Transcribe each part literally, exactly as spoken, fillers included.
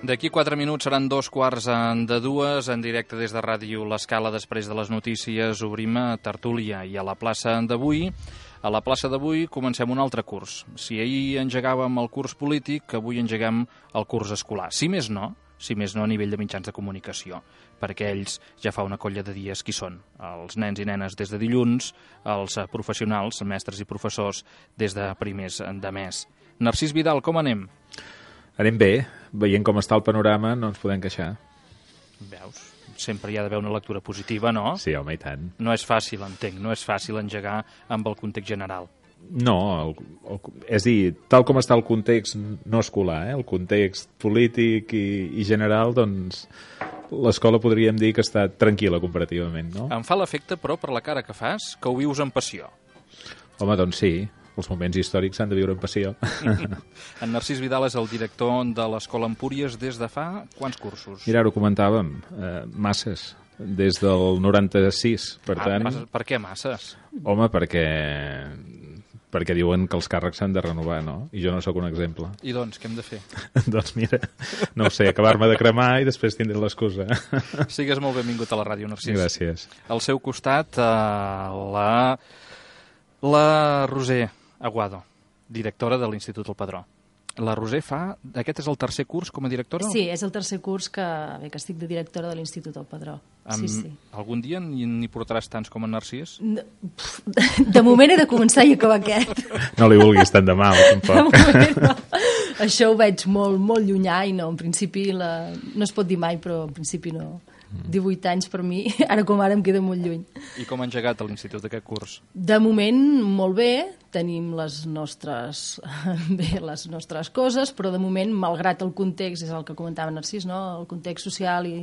D'aquí quatre minuts seran dos quarts de dues, en directe des de Ràdio L'Escala. Després de les notícies obrim a tertúlia i a la plaça d'avui. A la plaça d'avui comencem un altre curs. Si ahir engegàvem el curs polític, avui engegam el curs escolar. Si més no, si més no a nivell de mitjans de comunicació, perquè ells ja fa una colla de dies qui són. Els nens i nenes des de dilluns, els professionals, mestres i professors, des de primers de mes. Narcís Vidal, com anem? Anem bé, veient com està el panorama no ens podem queixar. Veus? Sempre hi ha d'haver una lectura positiva, no? Sí, home, i tant. No és fàcil, entenc, no és fàcil engegar amb el context general. No, el, el, és a dir, tal com està el context no escolar, eh? El context polític i, i general, doncs l'escola podríem dir que està tranquil·la comparativament, no? Em fa l'efecte, però, per la cara que fas, que ho vius amb passió. Home, doncs sí. Els moments històrics s'han de viure amb passió. En Narcís Vidal és el director de l'Escola Empúries des de fa quants cursos? Mira, ara ho comentàvem, eh, masses, des del noranta-sis. Per ah, tant, masses. Per què masses? Home, perquè perquè diuen que els càrrecs s'han de renovar, no? I jo no sóc un exemple. I doncs, què hem de fer? Doncs mira, no ho sé, acabar-me de cremar i després tindré l'excusa. Sigues molt benvingut a la ràdio, Narcís. Gràcies. Al seu costat, eh, la, la Roser Aguado, directora de l'Institut El Padró. La Roser fa... Aquest és el tercer curs com a directora? Sí, és el tercer curs que, bé, que estic de directora de l'Institut El Padró. Amb, sí, sí. Algun dia n'hi portaràs tants com en Narcís? De, de moment he de començar i acabar aquest. No li vulguis tant de mal, tampoc. De moment no. Això ho veig molt, molt llunyà i no, en principi, la... no es pot dir mai, però en principi no. divuit anys per mi, ara com ara em queda molt lluny. I com ha engegat a l'Institut aquest curs? De moment, molt bé, tenim les nostres, bé, les nostres coses, però de moment, malgrat el context, és el que comentava Narcís, no? El context social i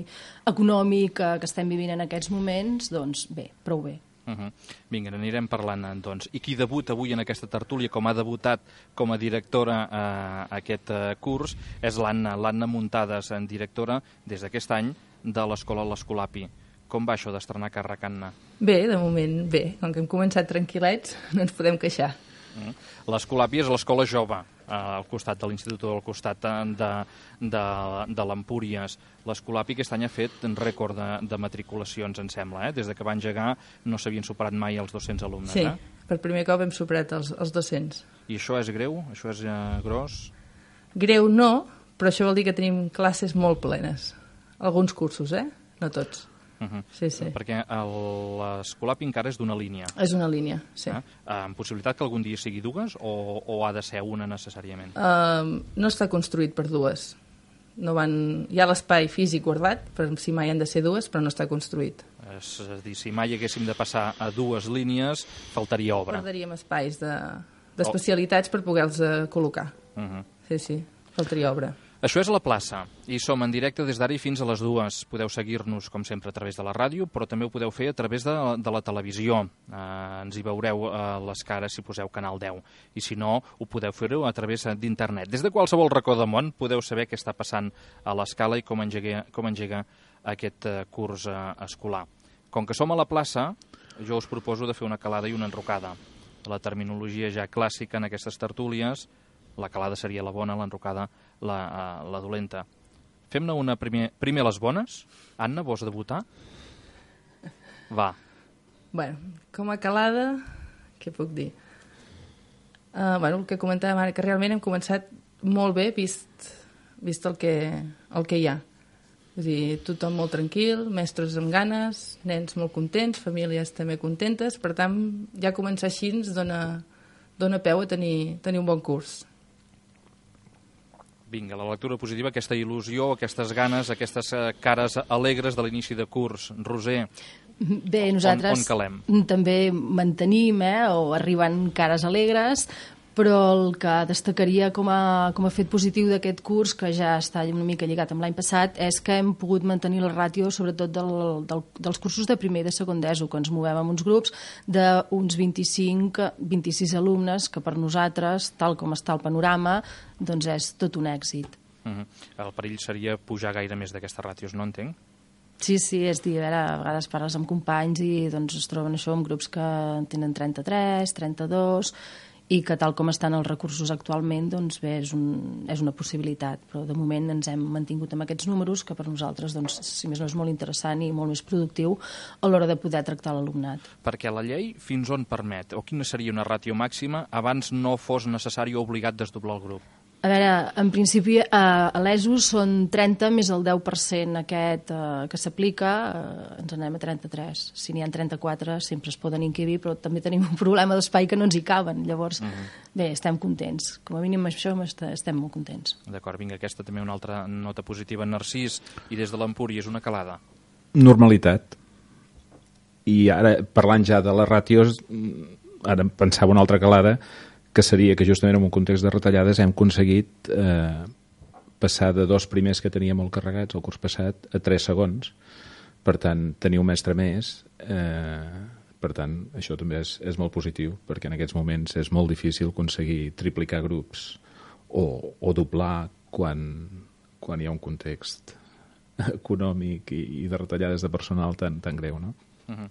econòmic que, que estem vivint en aquests moments, doncs bé, prou bé. Uh -huh. Vinga, n'anirem parlant, doncs. I qui debuta avui en aquesta tertúlia, com ha debutat com a directora eh, aquest eh, curs, és l'Anna, l'Anna Muntades, en directora des d'aquest any de l'Escola L'Escolapi. Com va això d'estrenar càrrec, Anna? Bé, de moment bé. Com que hem començat tranquil·lets, no ens podem queixar. Uh-huh. L'Escolapi és l'escola jove, eh, al costat de l'Institut, al costat de, de, de l'Empúries. L'Escolapi aquest any ha fet un rècord de, de matriculacions, em sembla, eh? Des de que va engegar no s'havien superat mai els dos-cents alumnes. Sí, eh? per primer cop hem superat els, els dos-cents. I això és greu? Això és eh, gros? Greu no, però això vol dir que tenim classes molt plenes. Alguns cursos, eh? No tots. Uh-huh. Sí, sí. Perquè l'Escolapi encara és d'una línia. És una línia, sí. Eh? Amb possibilitat que algun dia sigui dues o, o ha de ser una necessàriament? Uh, no està construït per dues. No van... Hi ha l'espai físic guardat, per si mai han de ser dues, però no està construït. És a dir, si mai haguéssim de passar a dues línies, faltaria obra. Guardaríem espais d'especialitats de, per poder-los uh, col·locar. Uh-huh. Sí, sí, faltaria obra. Això és la plaça, i som en directe des d'ara i fins a les dues. Podeu seguir-nos, com sempre, a través de la ràdio, però també ho podeu fer a través de, de la televisió. Eh, ens hi veureu eh, les cares si poseu Canal deu, i si no, ho podeu fer-ho a través d'internet. Des de qualsevol racó del món podeu saber què està passant a l'Escala i com engega, com engega aquest eh, curs eh, escolar. Com que som a la plaça, jo us proposo de fer una calada i una enrocada. La terminologia ja clàssica en aquestes tertúlies, la calada seria la bona, l'enrocada la, la dolenta. Fem-ne una primer, primer les bones. Anna, vols debutar? Va. Bueno, com a calada, què puc dir? Uh, bueno, el que comentàvem ara, que realment hem començat molt bé vist, vist el, que, el que hi ha. És a dir, tothom molt tranquil, mestres amb ganes, nens molt contents, famílies també contentes, per tant, ja començar així ens dona, dona peu a tenir, tenir un bon curs. Vinga, la lectura positiva, aquesta il·lusió, aquestes ganes, aquestes cares alegres de l'inici de curs. Roser, bé, nosaltres on, on calem? També mantenim, eh, o arriben cares alegres, però el que destacaria com a, com a fet positiu d'aquest curs, que ja està una mica lligat amb l'any passat, és que hem pogut mantenir la ràtio, sobretot del, del, dels cursos de primer i de segon d'ESO, que ens movem en uns grups d'uns vint-i-cinc vint-i-sis alumnes, que per nosaltres, tal com està el panorama, doncs és tot un èxit. Uh-huh. El perill seria pujar gaire més d'aquestes ràtios, no entenc? Sí, sí, és dir, a, veure, a vegades parles amb companys i doncs es troben això en grups que tenen trenta-tres, trenta-dos... i que tal com estan els recursos actualment, doncs bé, és, un, és una possibilitat, però de moment ens hem mantingut amb aquests números, que per nosaltres, doncs, si més no, és molt interessant i molt més productiu a l'hora de poder tractar l'alumnat. Perquè la llei fins on permet, o quina seria una ràtio màxima abans no fos necessari o obligat desdoblar el grup? A veure, en principi eh, a l'E S O són trenta més el deu per cent aquest eh, que s'aplica, eh, ens anem a trenta-tres. Si n'hi ha trenta-quatre sempre es poden inquibir, però també tenim un problema d'espai que no ens hi caben. Llavors, uh-huh. bé, estem contents. Com a mínim això estem molt contents. D'acord, vinga, aquesta també una altra nota positiva. Narcís, i des de l'Empúries, una calada. Normalitat. I ara, parlant ja de les ràtios, ara pensava una altra calada, que seria que justament en un context de retallades hem aconseguit eh, passar de dos primers que teníem molt carregats el curs passat a tres segons. Per tant, tenir un mestre més, eh, per tant, això també és, és molt positiu, perquè en aquests moments és molt difícil aconseguir triplicar grups o, o doblar quan, quan hi ha un context econòmic i, i de retallades de personal tan, tan greu, no? Uh-huh.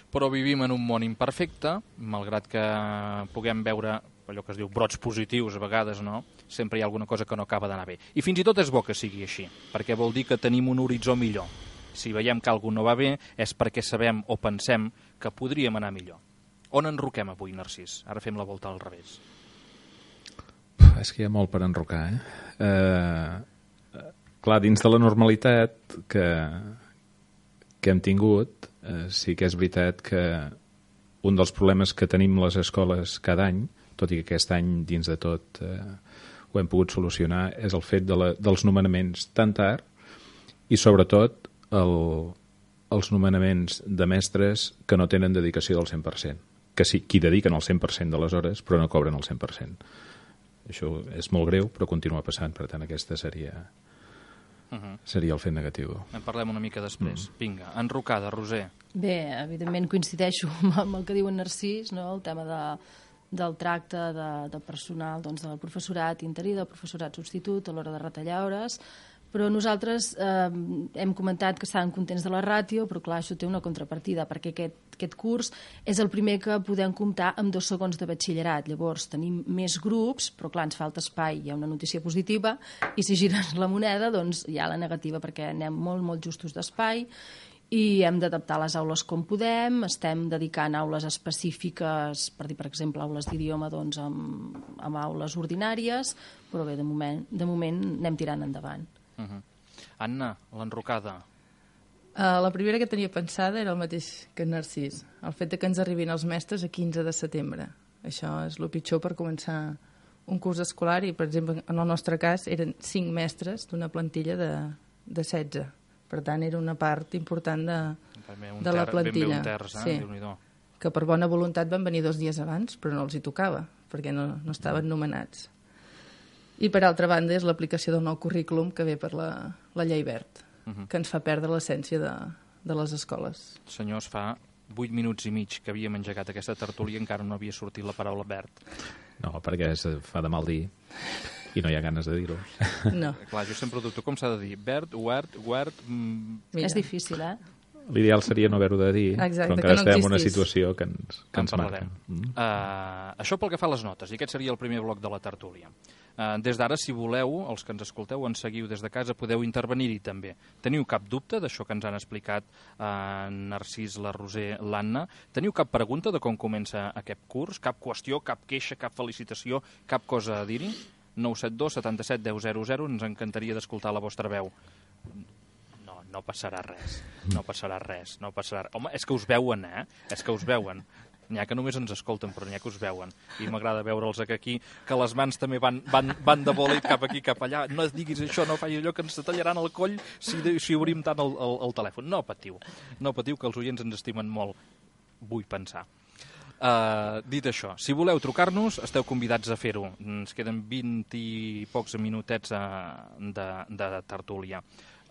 Però vivim en un món imperfecte, malgrat que puguem veure allò que es diu brots positius a vegades, no? Sempre hi ha alguna cosa que no acaba d'anar bé. I fins i tot és bo que sigui així, perquè vol dir que tenim un horitzó millor. Si veiem que alguna no va bé és perquè sabem o pensem que podríem anar millor. On enroquem avui, Narcís? Ara fem la volta al revés. Uf, és que hi ha molt per enrocar, eh? eh clar, dins de la normalitat que, que hem tingut, eh, sí que és veritat que un dels problemes que tenim les escoles cada any, tot i que aquest any dins de tot eh, ho hem pogut solucionar, és el fet de la, dels nomenaments tan tard i sobretot el, els nomenaments de mestres que no tenen dedicació del cent per cent, que sí, qui dediquen el cent per cent de les hores però no cobren el cent per cent. Això és molt greu però continua passant, per tant aquesta seria, uh-huh. seria el fet negatiu. En parlem una mica després. Mm. Vinga, enrocada, Roser. Bé, evidentment coincideixo amb el que diu en Narcís, no? El tema de del tracte de, de personal, doncs, del professorat interí, del professorat substitut a l'hora de retallar hores, però nosaltres eh, hem comentat que estàvem contents de la ràtio, però clar, això té una contrapartida, perquè aquest, aquest curs és el primer que podem comptar amb dos segons de batxillerat. Llavors tenim més grups, però clar, ens falta espai, hi ha una notícia positiva, i si gires la moneda, doncs hi ha la negativa, perquè anem molt, molt justos d'espai, i hem d'adaptar les aules com podem, estem dedicant aules específiques, per dir, per exemple, aules d'idioma doncs, amb, amb aules ordinàries, però bé, de moment, de moment anem tirant endavant. Uh-huh. Anna, l'enrocada. Uh, la primera que tenia pensada era el mateix que en Narcís, el fet de que ens arribin els mestres a quinze de setembre. Això és el pitjor per començar un curs escolar i, per exemple, en el nostre cas eren cinc mestres d'una plantilla de, de setze. Per tant, era una part important de, de la plantilla. Ben bé un terç, eh? Sí. Déu-n'hi-do. Que per bona voluntat van venir dos dies abans, però no els hi tocava, perquè no, no estaven nomenats. I per altra banda és l'aplicació del nou currículum que ve per la, la llei Wert, uh-huh. que ens fa perdre l'essència de, de les escoles. Senyors, fa vuit minuts i mig que havíem engegat aquesta tertúlia i encara no havia sortit la paraula Wert. No, perquè es fa de mal dir i no hi ha ganes de dir-ho. No. Clar, jo sempre dubto com s'ha de dir. Wert, Wert, Wert... Mm... És difícil, eh? L'ideal seria no haver-ho de dir, exacte, però encara no estem en una existís. situació que ens, que en ens marca. Mm. Uh, això pel que fa a les notes, i aquest seria el primer bloc de la tertúlia. Uh, des d'ara, si voleu, els que ens escolteu, ens seguiu des de casa, podeu intervenir-hi també. Teniu cap dubte d'això que ens han explicat uh, Narcís, la Roser, l'Anna? Teniu cap pregunta de com comença aquest curs? Cap qüestió, cap queixa, cap felicitació, cap cosa a dir-hi? nou set dos setanta-set deu zero zero, ens encantaria d'escoltar la vostra veu. No, no passarà res, no passarà res, no passarà... Home, és que us veuen, eh? És que us veuen. N'hi ha que només ens escolten, però n'hi ha que us veuen. I m'agrada veure'ls aquí, que les mans també van, van, van de bòlit cap aquí, cap allà. No et diguis això, no facis allò, que ens tallaran el coll si, si obrim tant el, el, el telèfon. No patiu, no patiu, que els oients ens estimen molt. Vull pensar. Uh, dit això, si voleu trucar-nos, esteu convidats a fer-ho. Ens queden vint i pocs minutets uh, de, de tertúlia.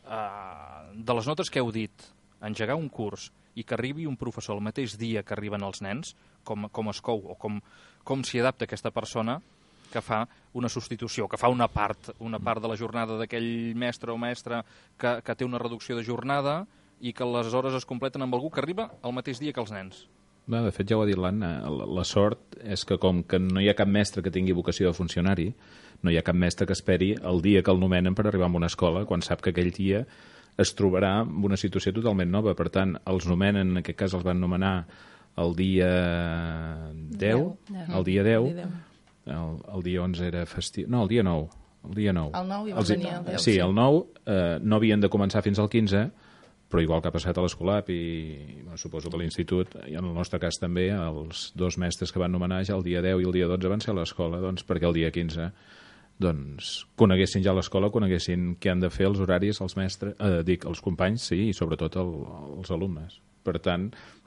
Uh, de les notes que heu dit, engegar un curs i que arribi un professor el mateix dia que arriben els nens, com, com es cou o com, com s'hi adapta aquesta persona que fa una substitució, que fa una part, una part de la jornada d'aquell mestre o mestra que, que té una reducció de jornada i que les hores es completen amb algú que arriba el mateix dia que els nens. No, de fet, ja ho ha dit l'Anna, la, la sort és que com que no hi ha cap mestre que tingui vocació de funcionari, no hi ha cap mestre que esperi el dia que el nomenen per arribar a una escola, quan sap que aquell dia es trobarà en una situació totalment nova. Per tant, els nomenen, en aquest cas els van nomenar el dia deu, el dia deu, el, el dia onze era festiu, no, el dia nou, el dia nou. El nou i va els, venir el deu. Sí, el nou eh, no havien de començar fins al quinze, però igual que ha passat a l'Escolap i bueno, suposo que a l'Institut, i en el nostre cas també, els dos mestres que van nomenar ja el dia deu i el dia dotze van ser a l'escola, doncs perquè el dia quinze doncs, coneguessin ja l'escola, coneguessin què han de fer els horaris, els mestres, eh, dic, els companys, sí, i sobretot el, els alumnes. Per tant,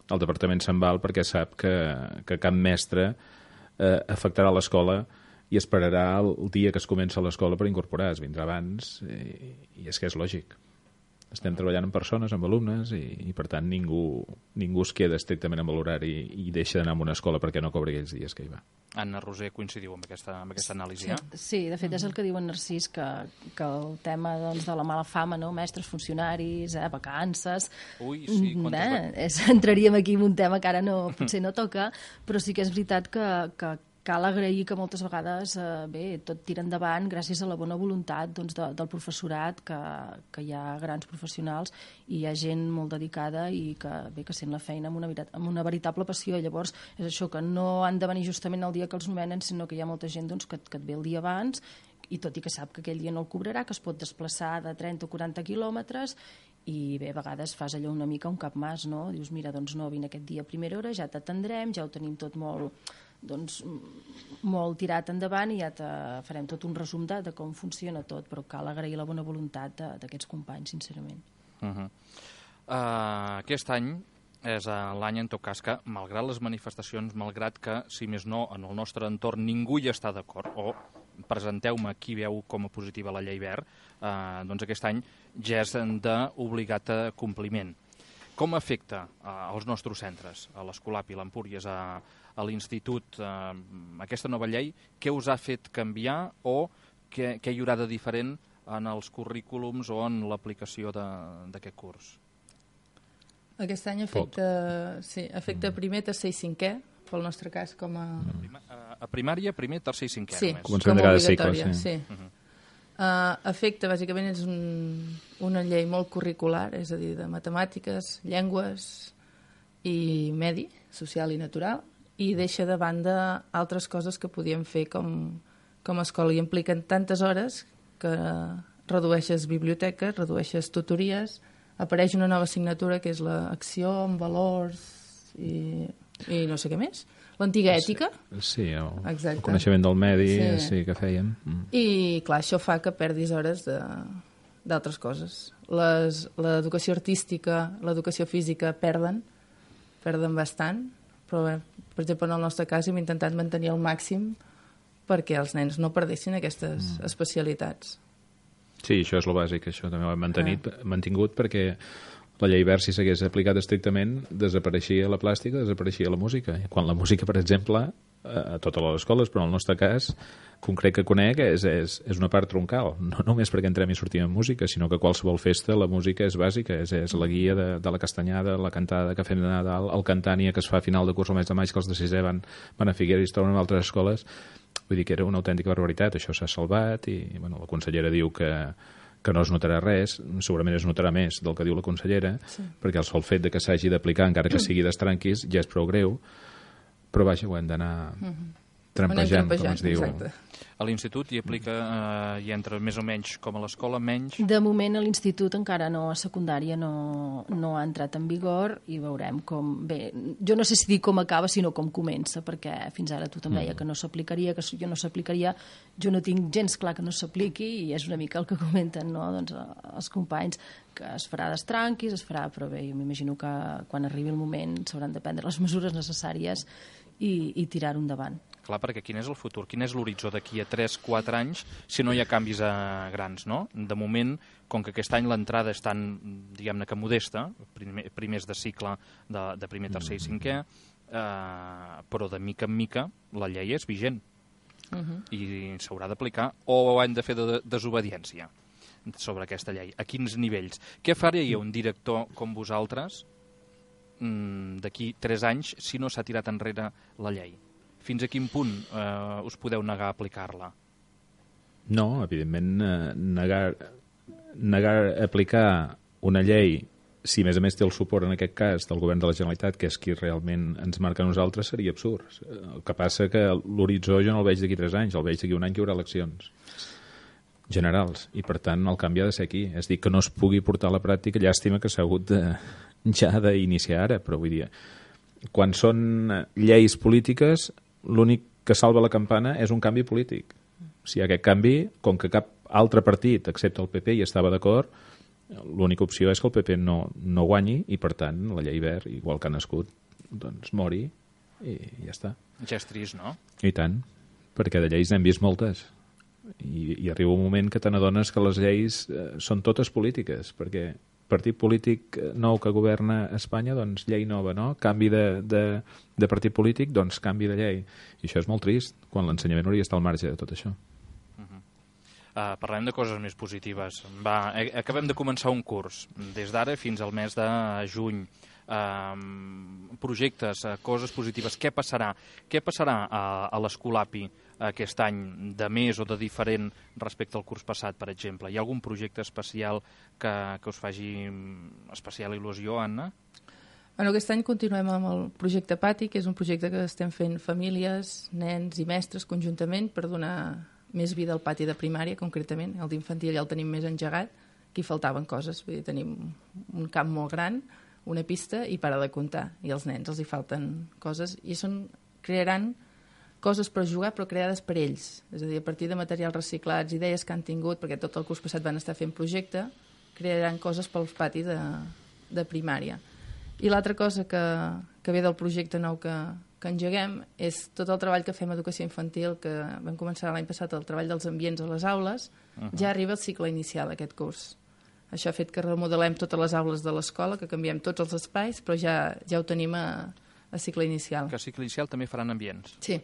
el departament se'n val perquè sap que, que cap mestre eh, afectarà l'escola i esperarà el dia que es comença l'escola per incorporar. Es vindrà abans i, i és que és lògic. Estem treballant amb persones, amb alumnes, i, i per tant ningú, ningú es queda estrictament amb l'horari i, i deixa d'anar a una escola perquè no cobri aquells dies que hi va. Anna Roser, coincidiu amb aquesta, amb aquesta anàlisi? Sí, Eh? sí, de fet és el que diu en Narcís, que, que el tema doncs, de la mala fama, no? Mestres, funcionaris, eh, vacances... Ui, sí, quantes eh, va- és, entraríem aquí en un tema que ara no, potser no toca, però sí que és veritat que, que cal agrair que moltes vegades eh, bé, tot tira endavant gràcies a la bona voluntat doncs, de, del professorat, que, que hi ha grans professionals i hi ha gent molt dedicada i que, bé, que sent la feina amb una, verit- amb una veritable passió. Llavors, és això, que no han de venir justament el dia que els nomenen, sinó que hi ha molta gent doncs, que, que et ve el dia abans i tot i que sap que aquell dia no el cobrarà, que es pot desplaçar de trenta o quaranta quilòmetres i bé, a vegades fas allò una mica un cap mas, no? Dius, mira, doncs no, vine aquest dia a primera hora, ja t'atendrem, ja ho tenim tot molt, doncs, molt tirat endavant i ja te farem tot un resum de, de com funciona tot, però cal agrair la bona voluntat de- d'aquests companys, sincerament. Uh -huh. uh, aquest any és uh, l'any, en tot cas, que, malgrat les manifestacions, malgrat que, si més no, en el nostre entorn ningú hi està d'acord, o presenteu-me qui veu com a positiva la llei verd, uh, doncs aquest any ja és d'obligat compliment. Com afecta uh, als nostres centres, a l'Escolap i l'Empúries, a, a l'Institut, uh, aquesta nova llei? Què us ha fet canviar o què, què hi haurà de diferent en els currículums o en l'aplicació de- d'aquest curs? Aquest any afecta, sí, afecta primer, tercer i cinquè, pel nostre cas com a... Prima, a, a primària, primer, tercer i cinquè, Sí, només. Començament com de a cada cicle, obligatòria, sí. sí. Uh, afecta, bàsicament, és un, una llei molt curricular, és a dir, de matemàtiques, llengües i medi, social i natural, i deixa de banda altres coses que podíem fer com, com a escola, i impliquen tantes hores que redueixes biblioteques, redueixes tutories, apareix una nova assignatura que és l'acció amb valors i, i no sé què més, l'antiga ètica. Sí, el, Exacte. el coneixement del medi, sí, Sí. sí que fèiem. Mm. I, clar, això fa que perdis hores de- d'altres coses. Les- L'educació artística, l'educació física perden, perden bastant, però, bé, per exemple, en el nostre cas hem intentat mantenir al màxim perquè els nens no perdessin aquestes mm. especialitats. Sí, això és el bàsic, això també ho hem mantenit, mantingut perquè la llei verd, si s'hagués aplicat estrictament, desapareixia la plàstica, desapareixia la música. I quan la música, per exemple, a totes les escoles, però en el nostre cas, concret que conec, és, és, és una part troncal. No només perquè entrem i sortim en música, sinó que a qualsevol festa la música és bàsica, és, és la guia de, de la castanyada, la cantada que fem de Nadal, el cantània que es fa a final de curs al mes de maig, que els de sisè van, van a Figueres i es troben en altres escoles. Vull dir que era una autèntica barbaritat, això s'ha salvat i bueno, la consellera diu que, que no es notarà res, segurament es notarà més del que diu la consellera, sí. perquè el sol fet de que s'hagi d'aplicar, encara que sigui d'estranquis, ja és prou greu, però vaja, ho hem d'anar Mm-hmm. trampejant, com es diu. Exacte. A l'Institut hi aplica, eh, hi entra més o menys com a l'escola, menys... De moment a l'institut encara no, a secundària no, no ha entrat en vigor i veurem com... Bé, jo no sé si dir com acaba, sinó com comença, perquè fins ara tothom deia que no s'aplicaria, que jo no s'aplicaria, jo no tinc gens clar que no s'apliqui i és una mica el que comenten, no?, doncs, els companys, que es farà d'estranquis, es farà, però bé, jo m'imagino que quan arribi el moment s'hauran de prendre les mesures necessàries i, i tirar-ho endavant. Clar, perquè quin és el futur? Quin és l'horitzó d'aquí a tres quatre anys si no hi ha canvis a grans, no? De moment, com que aquest any l'entrada és tan, diguem-ne que modesta, primer, primers de cicle de, de primer, tercer i cinquè, eh, però de mica en mica la llei és vigent Uh-huh. i s'haurà d'aplicar o hem de fer de desobediència sobre aquesta llei. A quins nivells? Què faria un director com vosaltres mm, d'aquí tres anys si no s'ha tirat enrere la llei? Fins a quin punt eh, us podeu negar a aplicar-la? No, evidentment, eh, negar, negar a aplicar una llei, si a més a més té el suport en aquest cas del govern de la Generalitat, que és qui realment ens marca a nosaltres, seria absurd. El que passa que l'horitzó jo no el veig d'aquí tres anys, el veig d'aquí un any que hi haurà eleccions generals, i per tant el canvi ha de ser aquí. És dir, que no es pugui portar a la pràctica, llàstima que s'ha hagut de, ja d'iniciar ara, però vull dir, quan són lleis polítiques, l'únic que salva la campana és un canvi polític. Si hi ha aquest canvi, com que cap altre partit, excepte el P P, hi estava d'acord, l'única opció és que el P P no, no guanyi i, per tant, la llei verd, igual que ha nascut, doncs mori i ja està. Ja és trist, no? I tant, perquè de lleis n'hem vist moltes. I, i arriba un moment que te n'adones que les lleis eh, són totes polítiques, perquè partit polític nou que governa Espanya, doncs llei nova, no? Canvi de, de, de partit polític, doncs canvi de llei. I això és molt trist, quan l'ensenyament hauria d'estar al marge de tot això. Uh, parlem de coses més positives. Va, acabem de començar un curs. Des d'ara fins al mes de juny. Uh, projectes, uh, coses positives. Què passarà? Què passarà a, a l'Escolapi aquest any de més o de diferent respecte al curs passat, per exemple? Hi ha algun projecte especial que, que us faci especial il·lusió, Anna? Bueno, aquest any continuem amb el projecte Pati, que és un projecte que estem fent famílies, nens i mestres conjuntament per donar més vida al pati de primària, concretament. El d'infantil ja el tenim més engegat. Aquí faltaven coses. Vull dir, tenim un camp molt gran, una pista i para de comptar. I als nens els hi falten coses. I són, crearan coses per jugar, però creades per ells. És a dir, a partir de materials reciclats, idees que han tingut, perquè tot el curs passat van estar fent projecte, crearan coses pels patis de, de primària. I l'altra cosa que, que ve del projecte nou que, que engeguem és tot el treball que fem a educació infantil, que vam començar l'any passat, el treball dels ambients a les aules, uh-huh. Ja arriba el cicle inicial d'aquest curs. Això ha fet que remodelem totes les aules de l'escola, que canviem tots els espais, però ja, ja ho tenim a, a cicle inicial. Que a cicle inicial també faran ambients. Sí,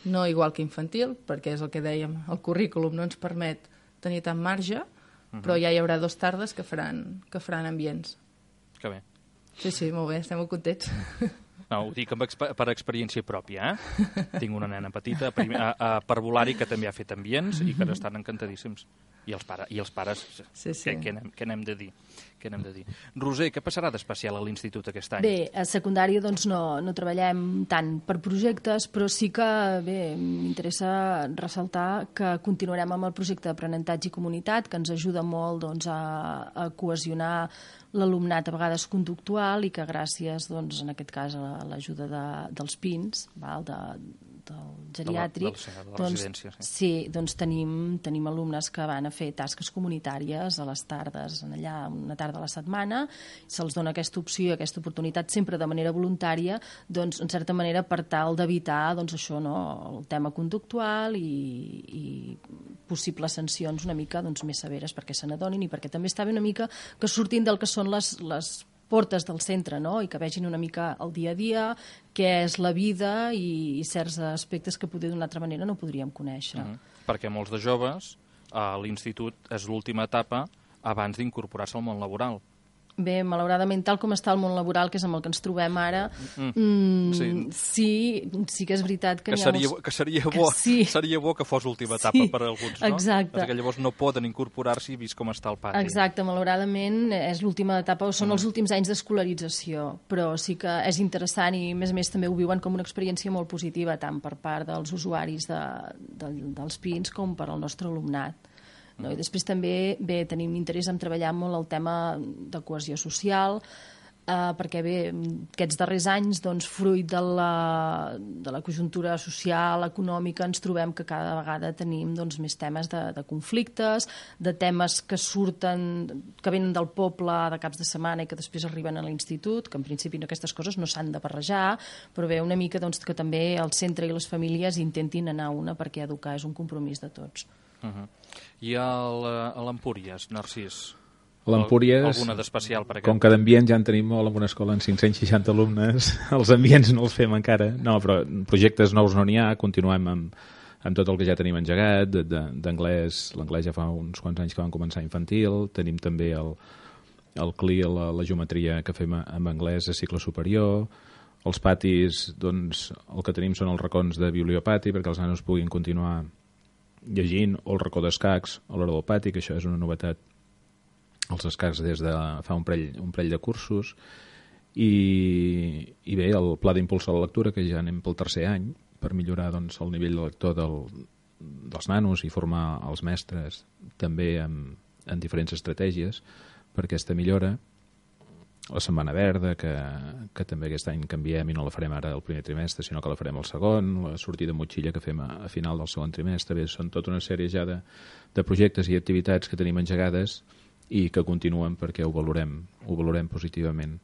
no igual que infantil, perquè és el que dèiem, el currículum no ens permet tenir tant marge, uh-huh. Però ja hi haurà dos tardes que faran, que faran ambients. Que bé. Sí, sí, molt bé, estem molt contents. No, ho dic amb exp per experiència pròpia, eh? Tinc una nena petita a, a, a parvulari que també ha fet ambients i que estan encantadíssims. I els, pare, i els pares, sí, sí. Què, què, n'hem, què n'hem de dir? Què n'hem de dir? Roser, què passarà d'especial a l'institut aquest any? Bé, a secundària doncs no, no treballem tant per projectes, però sí que bé, m'interessa ressaltar que continuarem amb el projecte d'aprenentatge i comunitat, que ens ajuda molt doncs, a, a cohesionar l'alumnat a vegades conductual i que gràcies, doncs, en aquest cas, a l'ajuda de, dels Pins, val, de, del geriàtric, de la, de la doncs, residència, sí. Sí, doncs tenim, tenim alumnes que van a fer tasques comunitàries a les tardes, allà una tarda a la setmana, se'ls dona aquesta opció, aquesta oportunitat sempre de manera voluntària, doncs, en certa manera, per tal d'evitar doncs, això, no? El tema conductual i, i possibles sancions una mica doncs, més severes perquè se n'adonin i perquè també està bé una mica que surtin del que són les, les portes del centre, no? I que vegin una mica el dia a dia, què és la vida i, i certs aspectes que poder d'una altra manera no podríem conèixer. Mm-hmm. Perquè molts de joves a l'institut és l'última etapa abans d'incorporar-se al món laboral. Bé, malauradament, tal com està el món laboral, que és amb el que ens trobem ara, mm. Mm, sí. sí, sí que és veritat que, que, seria, molts... que, seria, bo, que sí. seria bo que fos l'última etapa sí, per a alguns, no? Exacte. Perquè llavors no poden incorporar-s'hi vist com està el pati. Exacte, malauradament és l'última etapa, o són mm. els últims anys d'escolarització, però sí que és interessant i, a més a més, també ho viuen com una experiència molt positiva, tant per part dels usuaris de, de, dels Pins com per al nostre alumnat. No? I després també bé, tenim interès en treballar molt el tema de cohesió social, eh, perquè bé, aquests darrers anys, doncs, fruit de la, de la conjuntura social, econòmica, ens trobem que cada vegada tenim doncs, més temes de, de conflictes, de temes que surten, que venen del poble de caps de setmana i que després arriben a l'institut, que en principi aquestes coses no s'han de barrejar, però bé, una mica doncs, que també el centre i les famílies intentin anar a una, perquè educar és un compromís de tots. Uh-huh. I a l'Empúries, Narcís? L'Empúries, alguna d'especial per aquest? Com que d'ambients ja en tenim molt en una escola amb cinc-cents seixanta alumnes, els ambients no els fem encara. No, però projectes nous no n'hi ha, continuem amb, amb tot el que ja tenim engegat, d'anglès, l'anglès ja fa uns quants anys que vam començar infantil, tenim també el, el C L I, la, la geometria que fem en anglès a cicle superior, els patis, doncs, el que tenim són els racons de bibliopati perquè els nanos puguin continuar llegint, o el racó d'escacs a l'hora del pati, que això és una novetat, els escacs des de fa un parell, un parell de cursos, i, i bé, el pla d'impuls a la lectura, que ja anem pel tercer any, per millorar doncs, el nivell de lector del, dels nanos i formar els mestres també en, en diferents estratègies per aquesta millora. La Setmana Verda, que, que també aquest any canviem i no la farem ara el primer trimestre, sinó que la farem el segon, la sortida motxilla que fem a, a final del segon trimestre. Bé, són tota una sèrie ja de, de projectes i activitats que tenim engegades i que continuen perquè ho valorem, ho valorem positivament.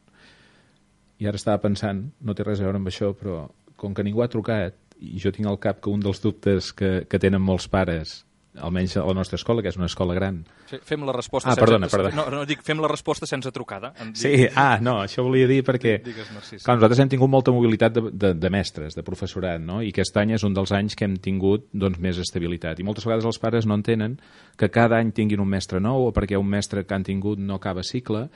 I ara estava pensant, no té res a veure amb això, però com que ningú ha trucat, i jo tinc al cap que un dels dubtes que, que tenen molts pares, almenys a la nostra escola, que és una escola gran. Sí, fem la resposta ah, sense... perdona, perdona. No, no, dic, fem la resposta sense trucada. Sí, ah, no, això volia dir perquè... Digues, Narcís. Clar, nosaltres hem tingut molta mobilitat de, de, de mestres, de professorat, no? I aquest any és un dels anys que hem tingut doncs, més estabilitat. I moltes vegades els pares no entenen que cada any tinguin un mestre nou o perquè un mestre que han tingut no acaba cicle.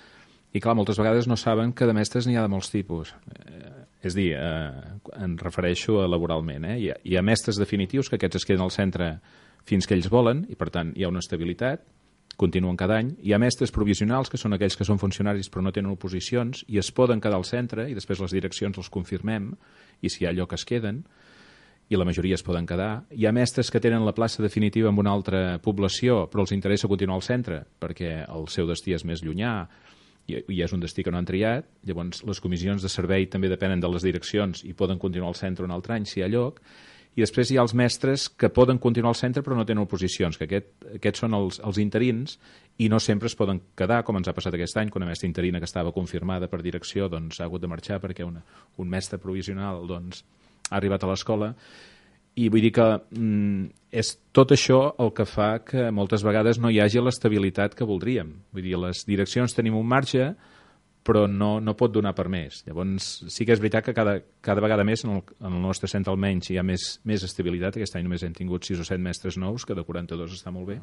I clar, moltes vegades no saben que de mestres n'hi ha de molts tipus. Eh, és dir, eh, em refereixo a laboralment. Eh? Hi ha, hi ha mestres definitius que aquests es queden al centre fins que ells volen, i per tant hi ha una estabilitat, continuen cada any. Hi ha mestres provisionals, que són aquells que són funcionaris però no tenen oposicions, i es poden quedar al centre, i després les direccions els confirmem, i si hi ha lloc es queden, i la majoria es poden quedar. Hi ha mestres que tenen la plaça definitiva en una altra població, però els interessa continuar al centre, perquè el seu destí és més llunyà, i és un destí que no han triat. Llavors les comissions de servei també depenen de les direccions i poden continuar al centre un altre any si hi ha lloc. I després hi ha els mestres que poden continuar al centre però no tenen oposicions, que aquest, aquests són els, els interins i no sempre es poden quedar, com ens ha passat aquest any, que una mestra interina que estava confirmada per direcció doncs, ha hagut de marxar perquè una, un mestre provisional doncs, ha arribat a l'escola. I vull dir que mm, és tot això el que fa que moltes vegades no hi hagi l'estabilitat que voldríem. Vull dir, les direccions tenim un marge, però no, no pot donar per més. Llavors, sí que és veritat que cada, cada vegada més, en el, en el nostre centre almenys, hi ha més, més estabilitat. Aquest any només hem tingut sis o set mestres nous, que de quaranta-dos està molt bé.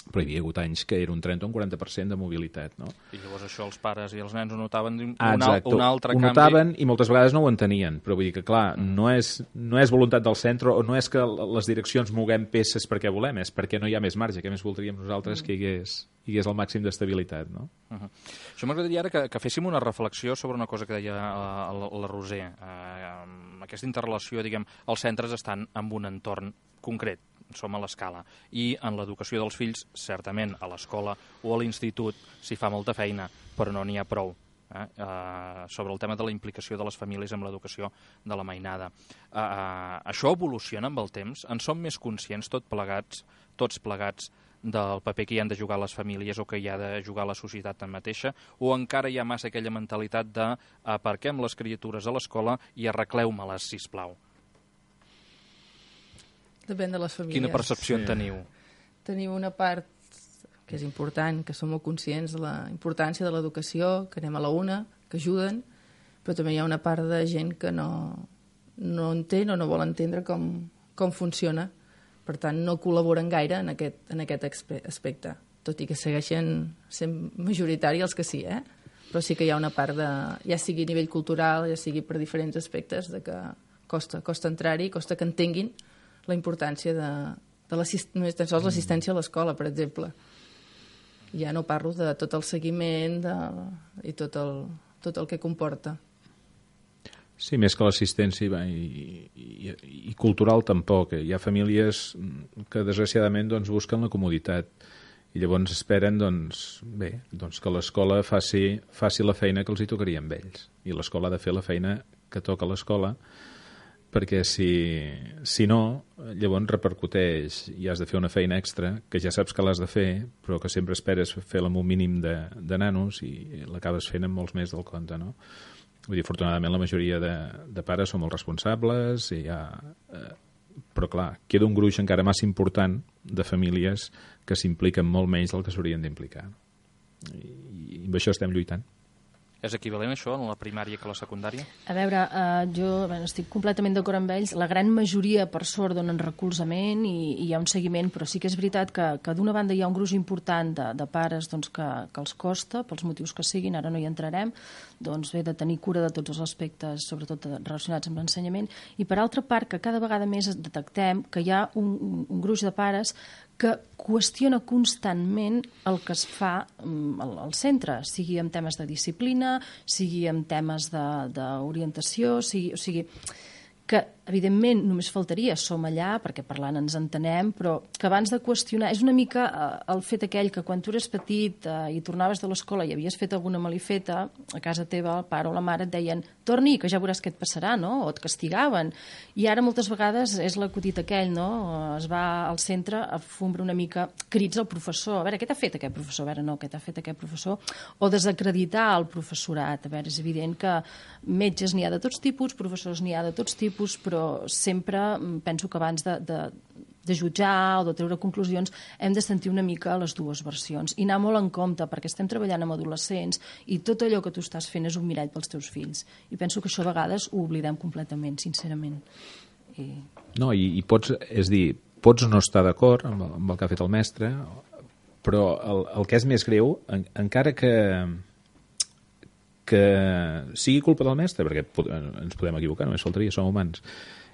Però hi havia hagut anys que era un trenta o un quaranta per cent de mobilitat, no? I llavors això els pares i els nens ho notaven un, ah, un, al, un altre ho canvi. Ho notaven i moltes vegades no ho entenien, però vull dir que, clar, mm. no, és, no és voluntat del centre o no és que les direccions moguem peces perquè volem, és perquè no hi ha més marge, que més voldríem nosaltres mm. que hi hagués, hi hagués el màxim d'estabilitat, no? Uh -huh. Això m'agradaria ara que, que féssim una reflexió sobre una cosa que deia la, la, la Roser. Eh, aquesta interrelació, diguem, els centres estan en un entorn concret, som a l'escala, i en l'educació dels fills, certament a l'escola o a l'institut s'hi fa molta feina, però no n'hi ha prou. Eh? Uh, sobre el tema de la implicació de les famílies amb l'educació de la mainada. Uh, uh, això evoluciona amb el temps? En som més conscients tot plegats, tots plegats del paper que hi han de jugar les famílies o que hi ha de jugar la societat en mateixa, o encara hi ha massa aquella mentalitat de aparquem les criatures a l'escola i arregleu-me-les, sisplau? Depèn de les famílies. Quina percepció en sí. teniu? Tenim una part que és important, que som molt conscients de la importància de l'educació, que anem a la una, que ajuden, però també hi ha una part de gent que no, no entén o no vol entendre com, com funciona. Per tant, no col·laboren gaire en aquest, en aquest aspecte, tot i que segueixen sent majoritari els que sí, eh? Però sí que hi ha una part de, ja sigui a nivell cultural, ja sigui per diferents aspectes, de que costa, costa entrar-hi, costa que entenguin la importància de, de només tan sols l'assistència a l'escola, per exemple. Ja no parlo de tot el seguiment de, i tot el, tot el que comporta. Sí, més que l'assistència i, i, i cultural tampoc. Hi ha famílies que desgraciadament doncs, busquen la comoditat i llavors esperen doncs, bé, doncs que l'escola faci, faci la feina que els hi tocaria amb ells. I l'escola ha de fer la feina que toca a l'escola, perquè si, si no, llavors repercuteix i has de fer una feina extra que ja saps que l'has de fer, però que sempre esperes fer-la amb un mínim de, de nanos i l'acabes fent amb molts més del compte, no? Vull dir, afortunadament la majoria de, de pares són molt responsables, i ha, eh, però clar, queda un gruix encara massa important de famílies que s'impliquen molt menys del que s'haurien d'implicar. I, I amb això estem lluitant. És equivalent això en la primària que a la secundària? A veure, eh, jo bueno, estic completament d'acord amb ells. La gran majoria, per sort, donen recolzament i, i hi ha un seguiment, però sí que és veritat que, que d'una banda hi ha un gruix important de, de pares doncs, que, que els costa, pels motius que siguin, ara no hi entrarem, doncs bé, de tenir cura de tots els aspectes, sobretot relacionats amb l'ensenyament, i per altra part que cada vegada més detectem que hi ha un, un, un gruix de pares que qüestiona constantment el que es fa al, al centre, sigui en temes de disciplina, sigui en temes d'orientació, sigui, o sigui, que evidentment només faltaria, som allà perquè parlant ens entenem, però que abans de qüestionar, és una mica eh, el fet aquell que quan tu eres petit eh, i tornaves de l'escola i havies fet alguna malifeta, a casa teva el pare o la mare et deien torni, que ja veuràs què et passarà, no? O et castigaven. I ara moltes vegades és l'acudit aquell, no? Es va al centre a fumbre una mica crits al professor, a veure, què t'ha fet aquest professor? A veure, no, què t'ha fet aquest professor? O desacreditar el professorat. A veure, és evident que metges n'hi ha de tots tipus, professors n'hi ha de tots tipus, però sempre penso que abans de, de, de jutjar o de treure conclusions hem de sentir una mica les dues versions i anar molt en compte perquè estem treballant amb adolescents i tot allò que tu estàs fent és un mirall pels teus fills. I penso que això a vegades ho oblidem completament, sincerament. I... No, i, i pots, és dir, pots no estar d'acord amb, amb el que ha fet el mestre, però el, el que és més greu, en, encara que que sigui culpa del mestre, perquè ens podem equivocar, només faltaria, som humans,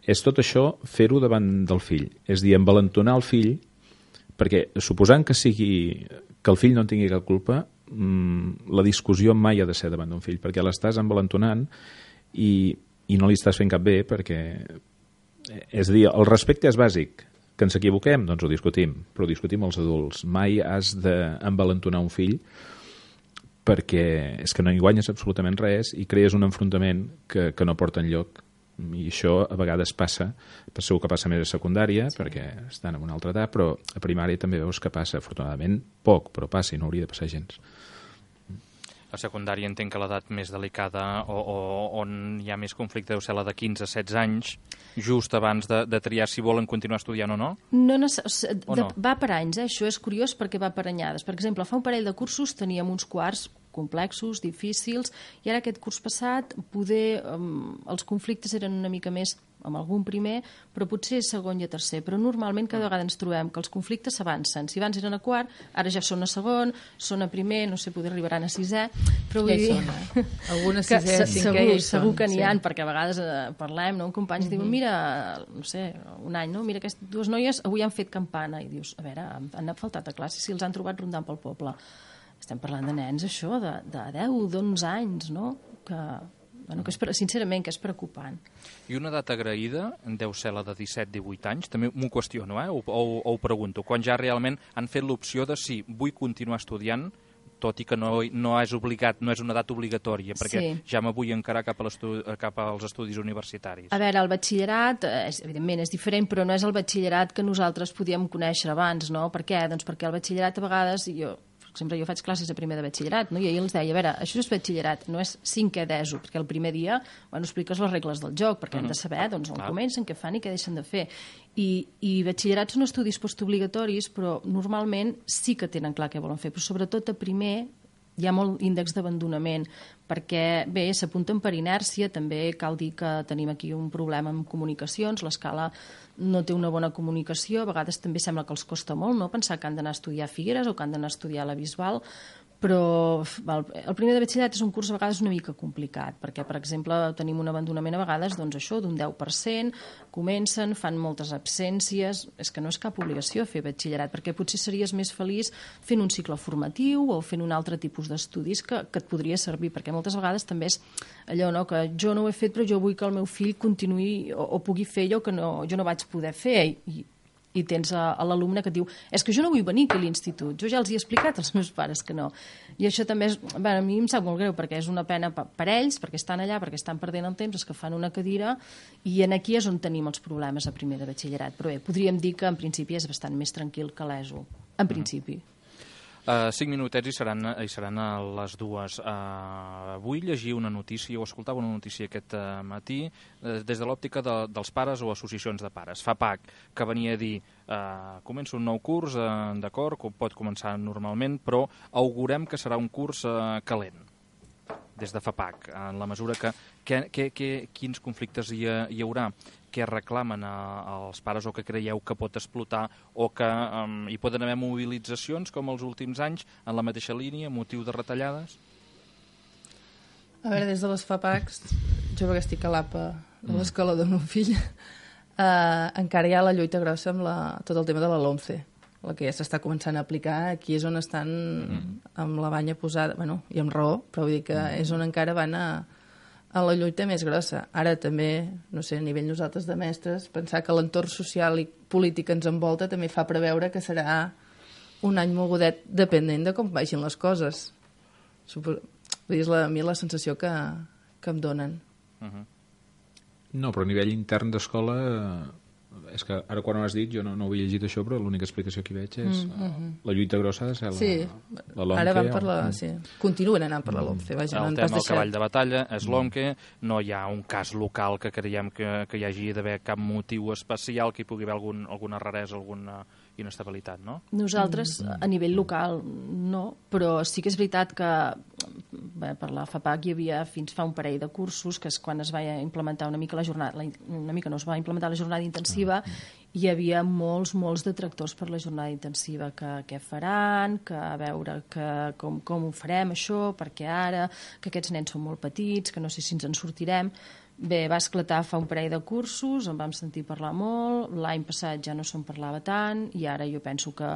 és tot això fer-ho davant del fill. És dir, envalentonar el fill, perquè suposant que sigui que el fill no en tingui cap culpa, la discussió mai ha de ser davant d'un fill, perquè l'estàs envalentonant i, i no li estàs fent cap bé, perquè... És a dir, el respecte és bàsic. Que ens equivoquem? Doncs ho discutim, però ho discutim els adults. Mai has d'envalentonar un fill perquè és que no hi guanyes absolutament res i crees un enfrontament que, que no porta enlloc. I això a vegades passa, segur que passa més a secundària, sí, perquè estan en una altra edat, però a primària també veus que passa, afortunadament poc, però passa i no hauria de passar gens. A secundària entenc que l'edat més delicada o, o on hi ha més conflicte deu ser la de quinze a setze anys, just abans de, de triar si volen continuar estudiant o no? No, no, de, no? Va per anys, eh? Això és curiós perquè va per anyades. Per exemple, fa un parell de cursos teníem uns quarts complexos, difícils, i ara aquest curs passat poder, um, els conflictes eren una mica més amb algun primer, però potser segon i a tercer. Però normalment cada vegada ens trobem que els conflictes s'avancen. Si abans eren a quart, ara ja són a segon, són a primer, no sé, poder arribaran a sisè, però vull dir... Eh? Alguna sisè, cinquè, segur, ja hi segur són, que n'hi sí. ha, perquè a vegades eh, parlem, no? Un company uh-huh. diu, mira, no sé, un any, no? Mira, aquestes dues noies avui han fet campana, i dius, a veure, han, han faltat a classe si els han trobat rondant pel poble. Estem parlant de nens, això, de, de deu, d'onze anys, no? Que, bueno, que és, sincerament, que és preocupant. I una edat agraïda deu ser la de disset divuit anys, també m'ho qüestiono, eh? o, o, o ho pregunto, quan ja realment han fet l'opció de si vull continuar estudiant, tot i que no, no és obligat, no és una edat obligatòria, perquè sí. ja me vull encarar cap, a cap als estudis universitaris. A veure, el batxillerat, és, evidentment, és diferent, però no és el batxillerat que nosaltres podíem conèixer abans, no? Per què? Doncs perquè el batxillerat a vegades, jo... sempre jo faig classes a primer de batxillerat, no? I ahir els deia, a veure, això és batxillerat, no és cinquè d'ESO, perquè el primer dia, bueno, expliques les regles del joc, perquè uh-huh. hem de saber, doncs, on comencen, què fan i què deixen de fer. I, i batxillerat són estudis postobligatoris, però normalment sí que tenen clar què volen fer, però sobretot a primer hi ha molt índex d'abandonament, perquè, bé, s'apunten per inèrcia, també cal dir que tenim aquí un problema amb comunicacions, l'escala no té una bona comunicació, a vegades també sembla que els costa molt, no?, pensar que han d'anar a estudiar a Figueres o que han d'anar a estudiar a la Bisbal, però el, el primer de batxillerat és un curs a vegades una mica complicat, perquè, per exemple, tenim un abandonament a vegades, doncs això, d'un deu per cent, comencen, fan moltes absències, és que no és cap obligació fer batxillerat, perquè potser series més feliç fent un cicle formatiu o fent un altre tipus d'estudis que, que et podria servir, perquè moltes vegades també és allò, no?, que jo no ho he fet, però jo vull que el meu fill continuï o, o pugui fer allò que no, jo no vaig poder fer, i i tens a, a l'alumne que et diu és que jo no vull venir aquí a l'institut, jo ja els he explicat als meus pares que no. I això també és, bueno, a mi em sap molt greu perquè és una pena per, per ells, perquè estan allà, perquè estan perdent el temps, és que fan una cadira i en aquí és on tenim els problemes a primer de batxillerat. Però bé, podríem dir que en principi és bastant més tranquil que l'ESO, en principi. Uh, cinc minutets i seran, i seran a les dues. Uh, vull llegir una notícia, o escoltava una notícia aquest uh, matí, uh, des de l'òptica de, dels pares o associacions de pares. FAPAC, que venia a dir, uh, comença un nou curs, uh, d'acord, pot començar normalment, però augurem que serà un curs uh, calent. des de FAPAC, en la mesura que, que, que, que quins conflictes hi, ha, hi haurà, què reclamen a, als pares o que creieu que pot explotar o que um, hi poden haver mobilitzacions com els últims anys en la mateixa línia, motiu de retallades? A veure, des de les FAPACs, jo que estic a l'A P A de l'escola del meu fill, eh, encara hi ha la lluita grossa amb la, tot el tema de la LOMCE, la que ja s'està començant a aplicar. Aquí és on estan mm. amb la banya posada, bueno, i amb raó, però vull dir que mm. és on encara van a, a la lluita més grossa. Ara també, no sé, a nivell nosaltres de mestres, pensar que l'entorn social i polític que ens envolta també fa preveure que serà un any mogudet depenent de com vagin les coses. Suposo, vull dir, és la, a mi la sensació que, que em donen. Uh-huh. No, però a nivell intern d'escola... És que ara quan ho has dit jo no, no ho havia llegit això, però l'única explicació que hi veig és mm -hmm. la lluita grossa ha de ser la, sí. la LOMCE. Ara van per la... O... Sí. Continuen anant per la LOMCE. Vaja, el no tema, pas el cavall de batalla és l'OMCE, no hi ha un cas local que creiem que, que hi hagi d'haver cap motiu especial que hi pugui haver algun, alguna raresa, alguna inestabilitat, no? Nosaltres, mm. a nivell local, no, però sí que és veritat que bé, per la FAPAC hi havia fins fa un parell de cursos, que és quan es va implementar una mica la jornada, la, una mica no es va implementar la jornada intensiva, hi havia molts, molts detractors per la jornada intensiva, que què faran, que a veure que, com, com ho farem això, perquè ara, que aquests nens són molt petits, que no sé si ens en sortirem. Bé, va esclatar fa un parell de cursos, en vam sentir parlar molt, l'any passat ja no se'n parlava tant, i ara jo penso que,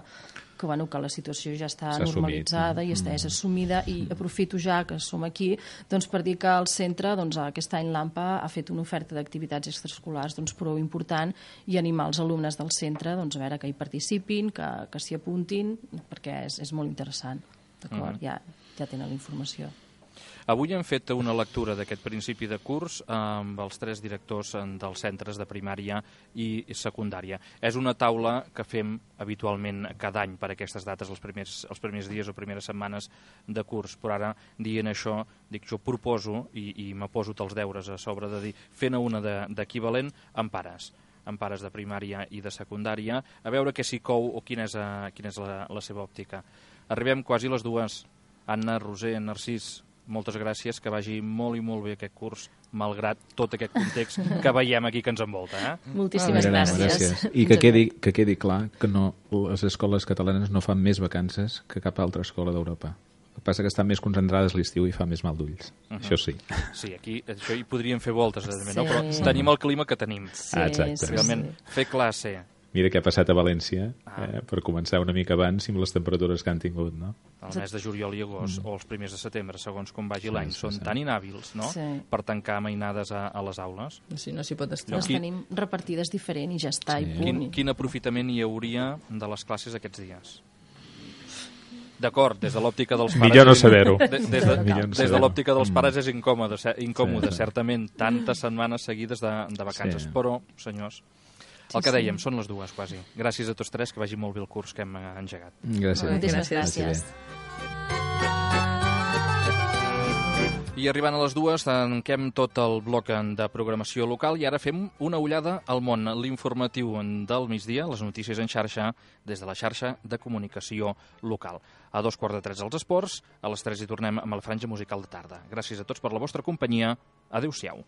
que, bueno, que la situació ja està normalitzada assumit, no? i està és assumida, i aprofito ja que som aquí doncs, per dir que el centre, doncs, aquest any l'A M P A ha fet una oferta d'activitats extraescolars doncs, prou important, i animar els alumnes del centre doncs, a veure que hi participin, que, que s'hi apuntin, perquè és, és molt interessant. D'acord? Uh-huh. ja, ja tenen la informació. Avui hem fet una lectura d'aquest principi de curs amb els tres directors dels centres de primària i secundària. És una taula que fem habitualment cada any per aquestes dates, els primers, els primers dies o primeres setmanes de curs, però ara, dient això, dic, jo proposo, i, i me poso els deures a sobre de dir, fent una d'equivalent amb pares amb pares de primària i de secundària, a veure què s'hi cou o quina és, a, quina és la, la seva òptica. Arribem quasi a les dues. Anna, Roser, Narcís, moltes gràcies, que vagi molt i molt bé aquest curs, malgrat tot aquest context que veiem aquí que ens envolta. Eh? Moltíssimes ah, gràcies. gràcies. I que quedi, que quedi clar que no, les escoles catalanes no fan més vacances que cap altra escola d'Europa. El que passa que estan més concentrades l'estiu i fa més mal d'ulls. Uh-huh. Això sí. Sí, aquí això hi podríem fer voltes, sí. no? Però sí. tenim el clima que tenim. Sí, ah, exacte. Realment, sí. fer classe... Mira què ha passat a València, ah. eh, per començar una mica abans i amb les temperatures que han tingut, no? El mes de juliol i agost, mm. o els primers de setembre, segons com vagi sí, l'any, sí, són sí. tan inhàbils, no?, sí. per tancar mainades a, a les aules. Sí, no s'hi pot estar. Les qui... tenim repartides diferent i ja està, sí. i punt. Quin, quin aprofitament hi hauria de les classes aquests dies? D'acord, des de l'òptica dels pares... Millor no saber-ho. De, des de, de, des de l'òptica dels pares és incòmode, incòmode sí, sí. certament, tantes setmanes seguides de, de vacances, sí. però, senyors... El que dèiem, són les dues, quasi. Gràcies a tots tres, que vagi molt bé el curs que hem engegat. Gràcies. Moltes gràcies. I arribant a les dues, tanquem tot el bloc de programació local i ara fem una ullada al món, l'informatiu del migdia, les notícies en xarxa, des de la xarxa de comunicació local. A dos quarts de tres els esports, a les tres hi tornem amb la franja musical de tarda. Gràcies a tots per la vostra companyia. Adéu-siau.